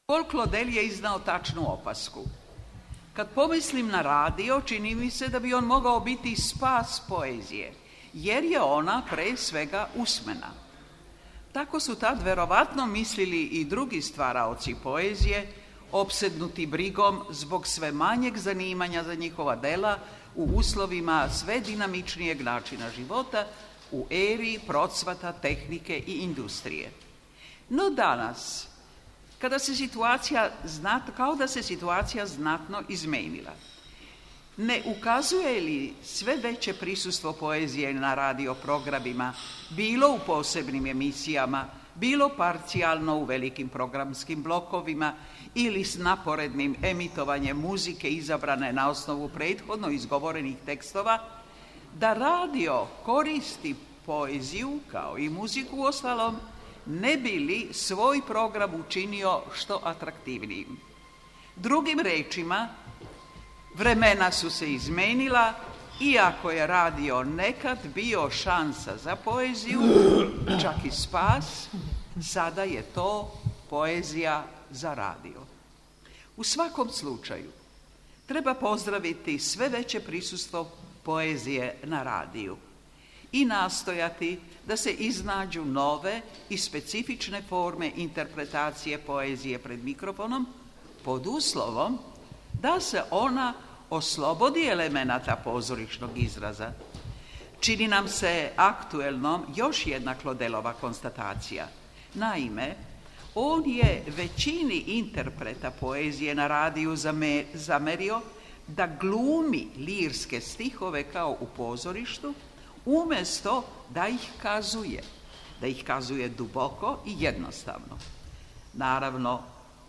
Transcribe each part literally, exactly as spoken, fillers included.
Paul Claudel je iznao tačnu opasku. Kad pomislim na radio, čini mi se da bi on mogao biti spas poezije, jer je ona pre svega usmena. Tako su tad verovatno mislili i drugi stvaraoci poezije, opsednuti brigom zbog sve manjeg zanimanja za njihova dela u uslovima sve dinamičnijeg načina života, u eri procvata tehnike i industrije. No danas, kada se situacija znat, kao da se situacija znatno izmenila, ne ukazuje li sve veće prisustvo poezije na radio programima, bilo u posebnim emisijama, bilo parcijalno u velikim programskim blokovima ili s naporednim emitovanjem muzike izabrane na osnovu prethodno izgovorenih tekstova, da radio koristi poeziju, kao i muziku uostalom, ne bi li svoj program učinio što atraktivnijim. Drugim rečima, vremena su se izmenila, iako je radio nekad bio šansa za poeziju, čak i spas, sada je to poezija za radio. U svakom slučaju, treba pozdraviti sve veće prisustvo poezije na radiju i nastojati da se iznađu nove i specifične forme interpretacije poezije pred mikrofonom, pod uslovom da se ona oslobodi elemenata pozorišnog izraza. Čini nam se aktuelnom još jedna Claudelova konstatacija. Naime, on je većini interpreta poezije na radiju zamerio da glumi lirske stihove kao u pozorištu, umjesto da ih kazuje, da ih kazuje duboko i jednostavno. Naravno,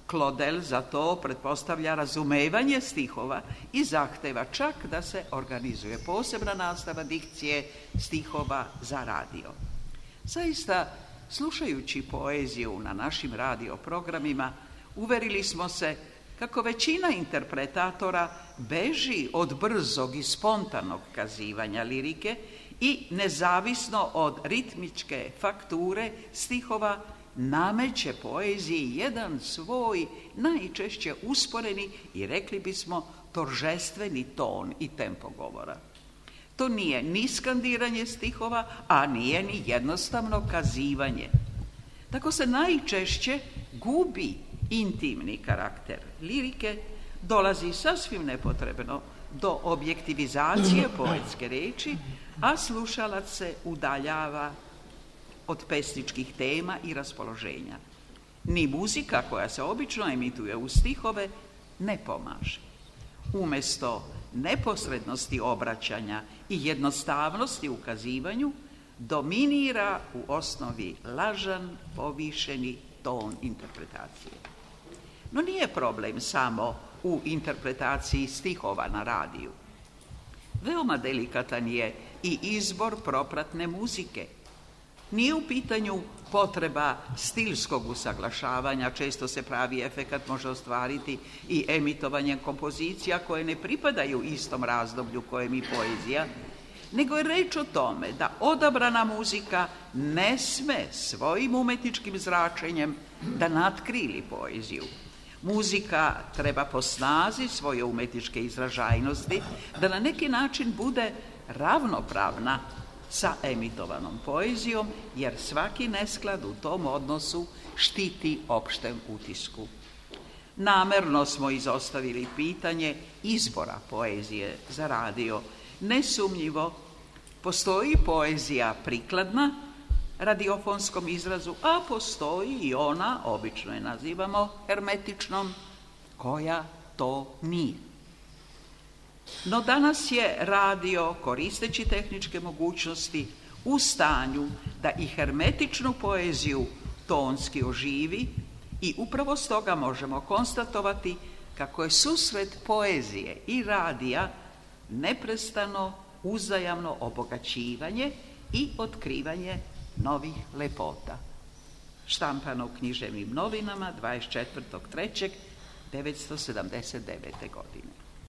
Claudel za to pretpostavlja razumevanje stihova i zahteva čak da se organizuje posebna nastava dikcije stihova za radio. Zaista, slušajući poeziju na našim radioprogramima, uverili smo se kako većina interpretatora beži od brzog i spontanog kazivanja lirike i nezavisno od ritmičke fakture stihova nameće poeziji jedan svoj najčešće usporeni i rekli bismo toržestveni ton i tempo govora. To nije ni skandiranje stihova, a nije ni jednostavno kazivanje. Tako se najčešće gubi intimni karakter lirike, dolazi sasvim nepotrebno do objektivizacije poetske reči, a slušalac se udaljava od pesničkih tema i raspoloženja. Ni muzika koja se obično emituje u stihove ne pomaže. Umjesto neposrednosti obraćanja i jednostavnosti u kazivanju, dominira u osnovi lažan, povišeni ton interpretacije. No nije problem samo u interpretaciji stihova na radiju. Veoma delikatan je i izbor propratne muzike. Nije u pitanju potreba stilskog usaglašavanja, često se pravi efekat može ostvariti i emitovanjem kompozicija koje ne pripadaju istom razdoblju kojem i poezija, nego je reč o tome da odabrana muzika ne sme svojim umetničkim zračenjem da natkrili poeziju. Muzika treba po snazi svoje umetničke izražajnosti da na neki način bude ravnopravna sa emitovanom poezijom, jer svaki nesklad u tom odnosu štiti opštem utisku. Namerno smo izostavili pitanje izbora poezije za radio. Nesumnjivo, postoji poezija prikladna radiofonskom izrazu, a postoji i ona, obično je nazivamo hermetičnom, koja to nije. No danas je radio, koristeći tehničke mogućnosti, u stanju da i hermetičnu poeziju tonski oživi i upravo stoga možemo konstatovati kako je susret poezije i radija neprestano uzajamno obogaćivanje i otkrivanje novih lepota. Štampano u Književnim novinama dvadeset četvrtog trećeg devetsto sedamdeset devete godine.